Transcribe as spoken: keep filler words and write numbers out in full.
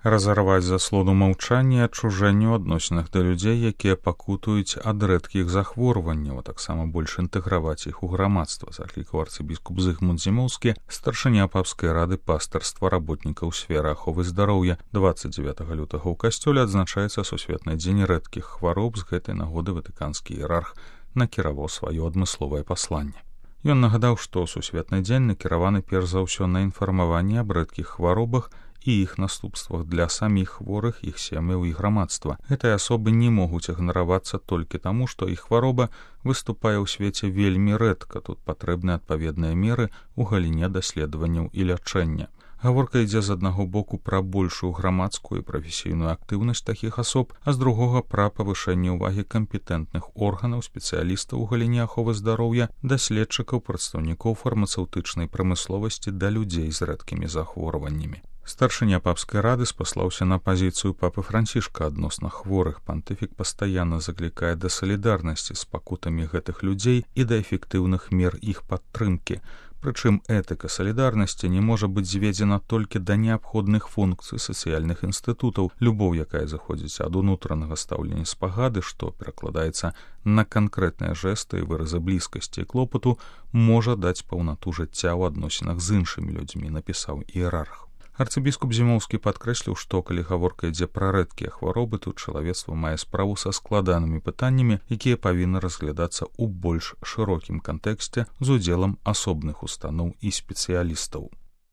разарваць заслону маўчання і адчужэння ў адносінах да людзей, якія пакутуюць ад рэдкіх захворванняў, а таксама больш інтэграваць іх у грамадства, заклікаў арцыбіскуп Зыгмунд Зімоўскі, старшыня папскай рады пастырства работнікаў сферы аховы здароўя. дваццаць дзевятага лютага ў касцёле адзначаецца сусветны дзень рэдкіх хвароб. З гэтай нагоды ватыканскі іерарх накіраваў сваё адмысловае пасланне. Ён нагадаў, што сусветны дзень накіраваны перш за ўсё на інфармаванне аб рэдкіх хваробах і іх наступствах для саміх хворых, іх сем'яў і грамадства. Гэтыя асобы не могуць ігнаравацца толькі таму, што іх хвароба выступае ў свеце вельмі рэдка. Тут патрэбны адпаведныя меры ў галіне даследаванняў і лячэння. Гаворка ідзе з аднаго боку пра большую грамадскую і прафесійную актыўнасць такіх асоб, а з другога пра павышэнне ўвагі кампетэнтных органаў, спецыялістаў у галіне аховы здароўя, даследчыкаў, прадстаўнікоў фармацэўтычнай прамысловасці да людзей з рэдкімі захворваннямі. Старшыня папскай рады спаслаўся на пазіцыю папы Францішка адносна хворых. Пантыфік пастаянна заклікае да салідарнасці з пакутамі гэтых людзей і да эфектыўных мер іх падтрымкі. Прычым этыка салідарнасці не можа быць зведзена толькі да неабходных функцый сацыяльных інстытутаў. Любоў, якая заходзіць ад унутранага стаўлення спагады, што перакладаецца на канкрэтныя жэсты і выразы блізкасці і клопату, можа даць паўнату жыцця ў адносінах з іншымі людзьмі, напісаў іерарх. Арцыбіскуп Зімоўскі падкрэсліў, што калі гаворка ідзе пра рэдкія хваробы, тут чалавецтва мае справу са складанымі пытаннямі, якія павінны разглядацца ў больш шырокім кантэксце з удзелам асобных устаноў і спецыялістаў.